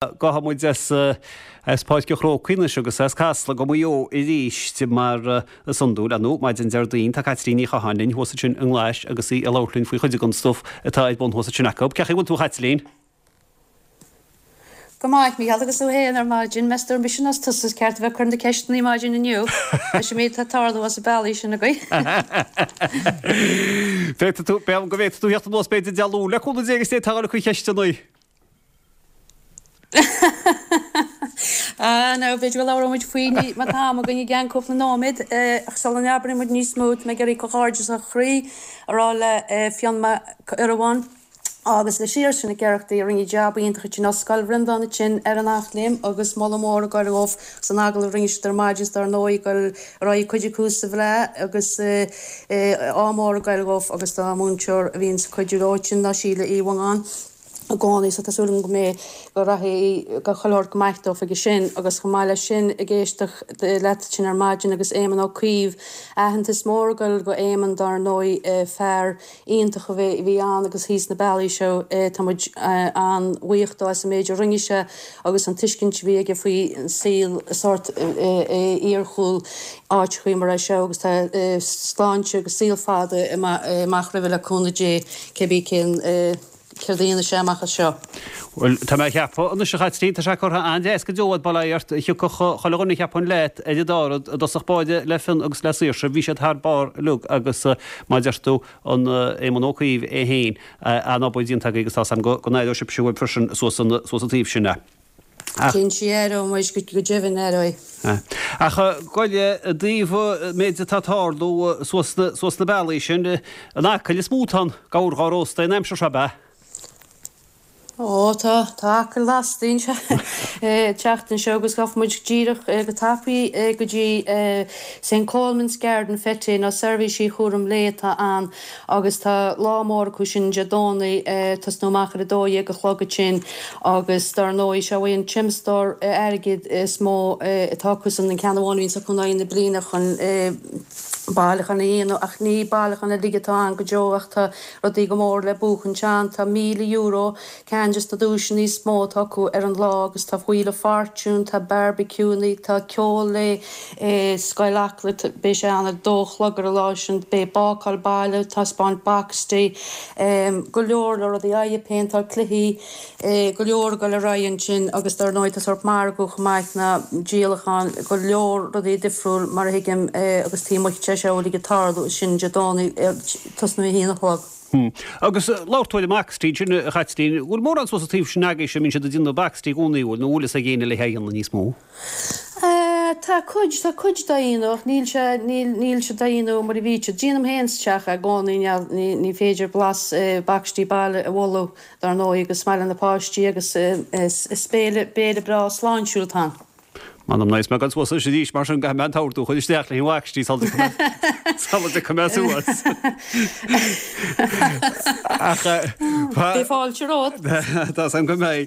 Gabhfaidh muid as Páirc an Chrócaigh anois agus as Casla go Maigh Eo arís mar is iondúil, ar ndóigh, maidin Déardaoin. Tá Caitlín Ní Chatháin linn thuas ansin i nGlais agus í ag labhairt linn faoi chuid den stuif atá ar bun thuas ansin acu. Cén chaoi a bhfuil tú a Chaitlín? Go maith, Mícheál, agus tú fhéin ar maidin? Meas tú ar mise nó tusa is ceart a bheith ag cur na ceisteanna maidin inniu leis an méid atá ag tarlú as an bealaí sin agaibh? Féadfaidh tú, b'fhéidir go bhféadfaidh tú theacht anuas b'fhéidir Dé Luain le cúnamh Dé agus d'fhéadfá a dhul ag cur ceisteanna. Ah, now, b'fhéidir go labhróidh muid faoi má tá am againn i gceann cúpla nóiméad, ach sula n-abraíonn muid níos mó, tá mé ag iarraidh comhghairdeas ó chroí a rá le Fionn Mac Urumhan agus le Saoirse Nic Oireachtaigh a rinne jab iontach ansin ó Scoil Bhreandáin ansin ar an Eachléim agus moladh mór ag goil dhóibh san agallamh a rinne siad ar maidin is dar ndóigh ag goil ar aghaidh cuid acu sa bhFleadh agus ádh mór ag goil dhóibh agus dá múinteoir a bhíonns ag cuidiú leo ansin ná Síle Uí Mhongáin. i gcónaí so tá súil agam go mbeidh, go rachaidh go chuile shórt go maith dóibh aige sin agus chomh maith leis sin ag éisteacht leat ansin ar maidin agus Éamonn Ó Cuív, aitheantas mór ag goil go Éamonn dár ndóigh, fear iontach a bhí ann agus thíos na bealaí seo tá muid an-bhuíoch dó as an méid a rinne sé agus an tuiscint a bhí aige faoi an saol sórt iargúil áiteachaí mar é seo agus tá sláinte agus saol fada amach roimhe le cúnamh Dé cébí cén Céard a dhéanfaidh sé amach as seo? Bhuel, tá mé a cheapadh anois, a Chaitlín, tá sé curtha an-deas go deo a'd, bail ó Dhia ort, thiocfadh chuile dhuine cheapfainn leat ar an dord i dtosach báire le Fionn agus le Saoirse, bhí siad thar barr uilig agus mar a deir tú, an Éamonn Ó Cuív é féin, an-obair déanta agaibh agus tá 's a'm go n-aireoidh sibhse uaibh freisin suas an taobh sin. Ach. Cinnte aireoidh muid, go deimhin aireoidh. Ach goil i dtaobh an méid atá ag tarlú suas na bealaí sin, an Acaill is mó atá an gabhar dhá róstadh an aimsir seo, ab ea? Ó tá, tá Acaill lasta an tseachtain seo agus gabhfaidh muid díreach go tapaidh go dtí St Colman's Garden Fete nó seirbhísí chúram lae atá ann Agus tá lá mór acu sin Dé Domhnaigh, tosnú amach ar 12 a chlog ansin agus dar ndóigh seo é an tiomstóir airgid is mó atá acusan, an ceann amháin a bhíonns acu in aghaidh na bliana chun bailiúchán a dhéanamh ach ní bailiúchán uilig atá ann go deo ach tá rudaí go mór le buachaint ann. Tá €1,000 ceann des na duaiseanna is mó atá acu ar an lá agus tá Wheel of Fortune, tá barbecueanna, tá ceol le Scoil Acla, beidh sé ann ar dó a chlog ar an lá sin, beidh bácáil baile, taispeáint boxty, go leor leor rudaí, aghaidh péinteáil, cluichí, go leor ag dul ar aghaidh ansin agus dar ndóigh tá sórt margadh chomh maith ná díolachán, go leor rudaí difriúil mar a thuigim agus taobh amuigh de seo uilig ag tarlú sin Dé Domhnaigh tosnú a haon a chlog. Agus labhair tú ar an mboxty ansin a Chaitlín, bhfuil mórán suas an taobh sin agaibhse a mbíonn siad ag déanamh boxty i gcónaí, bhfuil, nó bhfuil fhios ag éinne le haghaidh dhéanamh níos mó? Tá cuid, tá cuid dá dhéanamh ach níl sé, níl, níl siad dá dhéanamh mar a bhí siad. Déanaim féin sa teach é i gcónaí, ní, ní féidir blas boxty baile a mholadh dar ndóigh agus is maith le na páistí agus is, is béile, béile breá sláintiúil atá ann. M'anam ná is mé ag dul suas arís mar sin caithfidh mé an t-ordú a chur isteach le haghaidh an bhoxty sula dtiocfaidh mé suas. Ach Beidh fáilte romhat. Tá 's agam go mbeidh.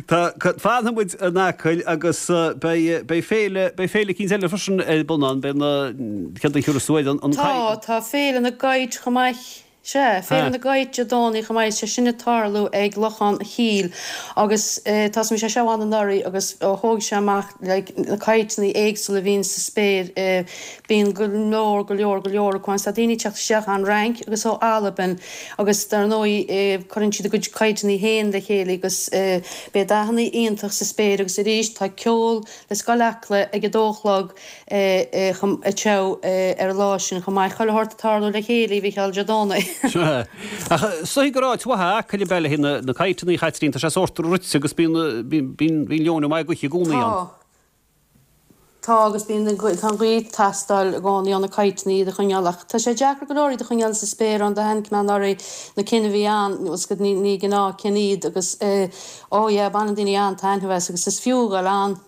Tá, fanfaidh muid in Acaill agus beidh, beidh féile, beidh féile eicínt eile freisin ar bun ann, beidh na, céard a thiúrfas tú air, an, an Tá, tá Féile na gCait chomh maith. Sea, Féile na gCait Dé Domhnaigh chomh maith, sé sin ag tarlú ag Lochán a' Chíll agus tá 's agam bhí sé seo ann anuraidh agus ó thóg sé amach like na cadhcanna éagsúla a bhíonn sa spéir, bíonn go leor, go leor, go leor acu ann. Tá daoine ag teacht isteach ón Fhrainc agus ó Albain agus dar ndóigh cuireann siad a gcuid cadhcanna féin le chéile agus beidh dathanna iontach sa spéir agus arís tá ceol le Scoil Acla ag a dó a chlog anseo ar an lá sin chomh maith. Chuile shórt ag tarlú le chéile, a Mhícheáil Dé Domhnaigh. Sea. Ach is dóigh gur áit mhaith é Acaill ab ea le haghaidh na cadhcanna, a Chaitlín, tá sé sórt rite agus bíonn, bíonn, bíonn leoithne maith gaoithe i gcónaí ann. Tá. Tá agus bíonn, tá an ghaoth ag teastáil i gcónaí ó na cadhcanna iad a choinneáil ach tá sé deacair go leor iad a choinneáil sa spéir ann do tháinig mé anuraidh na cinn a bhí ann, bhfuil 's agat, ní, ní gnáth cinn iad agus oh yeah baineann daoine an-taitneamh as agus is fiú a dhul ann.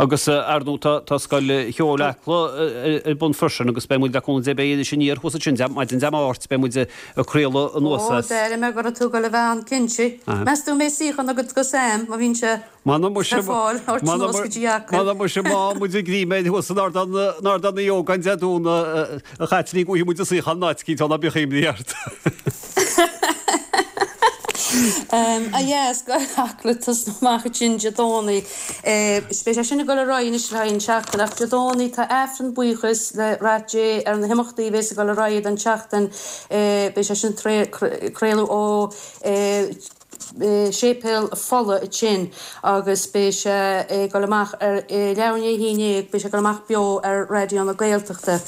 Agus, ar ndóigh, tá, tá Scoil Cheoil Acla ar bun freisin agus beidh muid, le cúnamh Dé, beidh Iris Aniar thuas ansin maidin Dé Máirt, beidh muid ag craoladh anuas as. Ó, d'airigh mé go raibh tú ag dul a bheith ann, cinnte. Meas tú an mbeidh suíochán agat go Sam, má bhíonn sé M'anam muise, ar fáil, thabhairt anuas go dtí Acaill. M'anam muise, má muid ag ríméad thuas in Ardán, in Ardán Uí Ógáin Dé Domhnaigh, a Chaitlín, go bhfaighidh muid an suíochán in áit eicínt ann, ná bíodh imní ort. Ah yeah, Scoil Acla tosnú amach ansin Dé Domhnaigh. Beidh sé sin ag dul ar aghaidh anois le haghaidh an tseachtain ach Dé Domhnaigh tá Aifreann buíochas le rath Dé ar na himeachtaí a bhéas ag dul ar aghaidh don tseachtain. Beidh sé sin craoladh ó Séipéal Fola ansin agus beidh sé ag dul amach ar leathuair i ndiaidh a haon dhéag, beidh sé ag dul amach beo ar Raidió na Gaeltachta.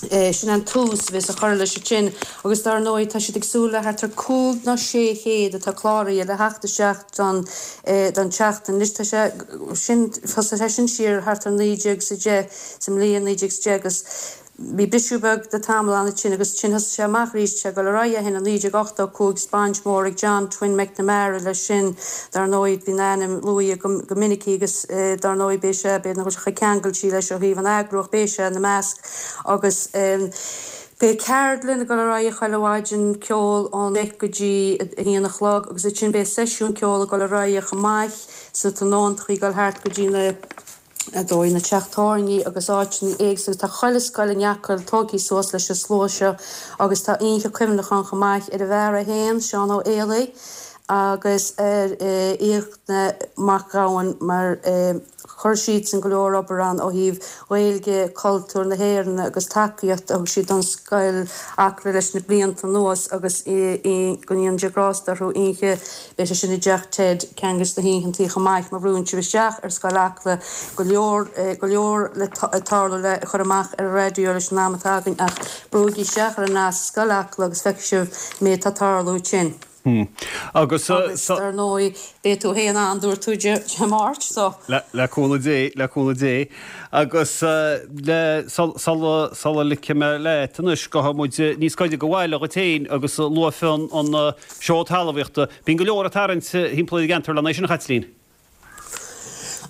Sin an tús a bheas á chur leis ansin agus dar ndóigh tá siad ag súil le thart ar 5 nó 600 atá cláraithe le theacht isteach don don tseachtain. Anois tá sé sin, thosaigh sé sin siar thart ar 1910, sa mbliain 1910 agus Bhí briseadh beag de tamall ann ansin agus ansin thosaigh sé amach arís, tá sé ag dul ar aghaidh ó shin i 1985 's baint mhór ag John Twin McNamara leis sin dar ndóigh bíonn a ainm luaithe go minic agus dar ndóigh beidh sé, b'fhéidir nach bhfuil sé chomh ceangailte leis ó thaobh an eagrú ach beidh sé ina measc agus beidh ceardlann ag dul ar aghaidh chuile mhaidin, ceol ón 10 go dtí 1 a chlog agus ansin beidh seisiún ceoil ag dul ar aghaidh chomh maith sna tráthnóntachaí ag dul thart go dtí na ar dóigh, na teach tábhairní agus áiteanna éagsúla. Tá chuile scoil in Acaill tógtha suas leis an slua seo agus tá oíche cuimhneacháin chomh maith ar an bhfear é féin, Seán Ó Héalaí, agus ar Fhiachna Mac Gabhann mar chuir siadsan go leor obair ann ó thaobh Ghaeilge, cultúr na hÉireann agus tacaíocht a thug siad don scoil Acla leis na blianta anuas agus go ndéana Dia grásta orthu oíche Beidh sé sin i dTeach Ted ceann des na hoícheantaí chomh maith má bhrúnn sibh isteach ar Scoil Acla go leor, go leor le tarlú le chur amach ar an raidió leis an am atá againn ach brúigí isteach ar an nasc Scoil Acla agus feicfidh sibh méid atá ag tarlú ansin. Agus Agus dar ndóigh beidh tú féin ann dúirt tú Dé Máirt so. Le cúnamh Dé, le cúnamh Dé. Agus le, sula, sula ligfidh mé leat anois, gabhfaidh muid níos gaire do bhaile dhuit féin agus luaigh Fionn an Seó Talmhaíochta. Bíonn go leor ag tarraingt thimpeall ar an gceantar lena aghaidh sin, a Chaitlín.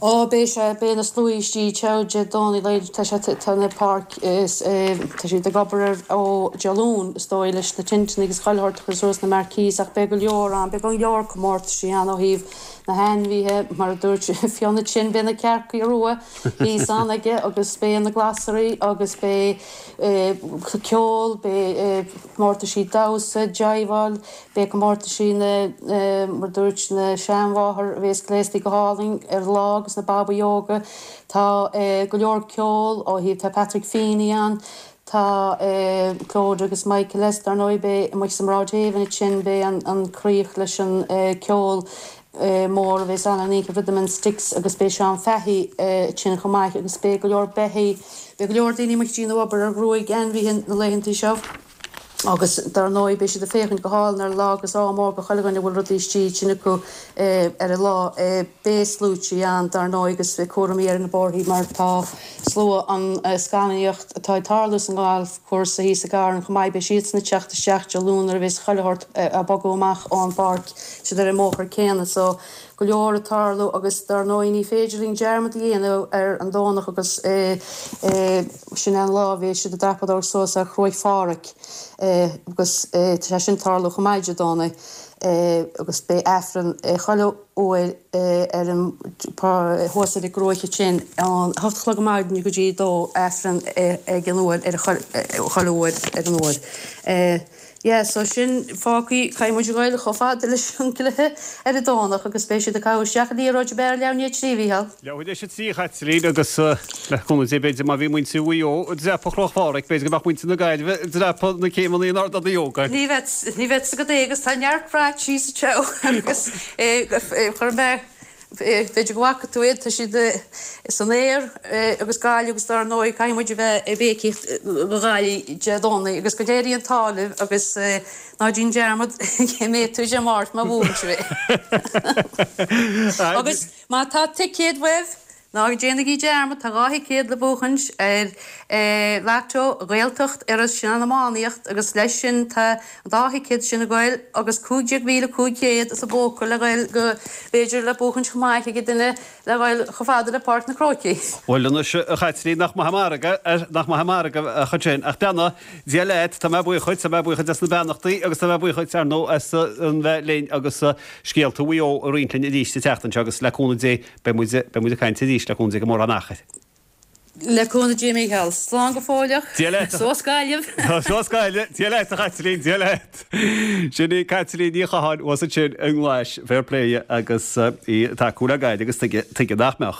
Ó, beidh sé, beidh na sluaí istigh teo Dé Domhnaigh, like, tá sé, tá na páirc is, tá siad ag obair ar ó Dé Luain, is dóigh, leis na tinteanna agus chuile shórt a chur suas na marquees ach beidh go leor ann, beidh go leor comórtaisí ann ó thaobh na hainmhithe, mar a dúirt Fionn ansin, beidh na cearcaí rua thíos ann aige agus beidh na glasraí agus beidh ceol, beidh comórtaisí damhsa, jiveáil, beidh comórtaisí na, mar a dúirt na seanmháthair a bhéas gléasta go hálainn ar an lá agus na babaí óga. Tá go leor ceol ó thaobh, tá Patrick Feeney ann, tá Clodagh agus Michael S. Dar ndóigh beidh amuigh sa mBroad Haven ansin, beidh an críoch leis an ceol mór a bhéas ann an oíche Rhythm and Sticks agus beidh Seán Fahy ansin chomh maith agus beidh go leor beithígh, beidh go leor daoine amuigh ag déanamh obair ar ghruaig ainmhithe na laethantaí seo agus dar ndóigh beidh siad ag féachaint go hálainn ar an lá agus ádh mór go chuile dhuine a bhfuil rudaí istigh ansin acu ar an lá. Beidh sluaití ann dar ndóigh agus beidh cúramaí ar na bóithrí mar tá slua an scannánaíocht atá ag tarlú san galfchúrsa thíos i gCarn chomh maith, beidh siadsan ag teacht isteach Dé Luain nuair a bheas chuile shórt ag bogadh amach ón bpáirc, siad ar an mbóthar céanna so go leor ag tarlú agus dar ndóigh ní féidir linn dearmad a dhéanamh ar an Domhnach agus sin é an lá a bheas siad ag dreapadóireacht suas ar Chruaich Pháraic agus tá sé sin ag tarlú chomh maith Dé Domhnaigh agus beidh Aifreann chuile uair ar an thuas ar an gcruaich ansin ón 8 a chlog ar maidin go dtí 2 Aifreann ag an uair ar chuile uair ar an uair. Yeah so sin fágthaí caithfidh muid a ghoil chomh fada leis an gcluiche ar an Domhnach agus beidh siad ag caitheamh isteach an liathróid ab ea ar leath i ndiaidh a 3 a Mhícheál. Leath i ndiaidh a 3 a Chaitlín agus le cúnamh Dé b'fhéidir má bhí muintir Mhaigh Eo ag dreapadh Chruach Pháraic b'fhéidir go mbeadh muintir na Gaillimhe ag dreapadh na céimeanna in Ard an Ógáin. Ní bheadh ní bheadh 's agat é agus tá neart brait síos anseo agus chuir mé b'fhéidir go bhfaca tú iad tá siad san aer agus Gaillimh agus dar ndóigh caithfidh muid a bheith ag béicíocht do Ghaillimh Dé Domhnaigh agus go n-éirí an t-ádh libh agus ná déan dearmad cé mbeidh tú Dé Máirt má bhuann sibh é. Agus má tá ticéad uaibh Ná déanaigí dearmad, tá 2 thicéad le buachaint ar Lotto Ghaeltacht Iorrais sin an iománaíocht agus leis sin tá an dá thicéad sin ag goil agus 15,500 sa bpóca le ghoil go, b'fhéidir, le buachaint chomh maith ag duine le ghoil chomh fada le Páirc na Crócaigh. Bhuel anois, a Chaitlín, nach maith an margadh, nach maith an margadh a chuid sin. Ach beannacht Dé leat, tá mé buíoch dhuit, tá mé buíoch dhuit as na beannachtaí agus tá mé buíoch dhuit, ar ndóigh, as an bheith linn agus scéalta Mhaigh Eo a roinnt linn arís an tseachtain seo agus le cúnamh Dé, Beidh muid, beidh muid ag caint arís le cúnamh Dé go mórán achair. Le cúnamh Dé, a Mhícheáil. Slán go fóilleach. Dia leat. Suas Gaillimh. Suas Gaillimh. Dia leat a Chaitlín, Dia leat. Sin í Caitlín Ní Chatháin thuas ansin i nGlais, fair play agus í ag tacú le Gaillimh agus tuige, tuige nach mbeadh.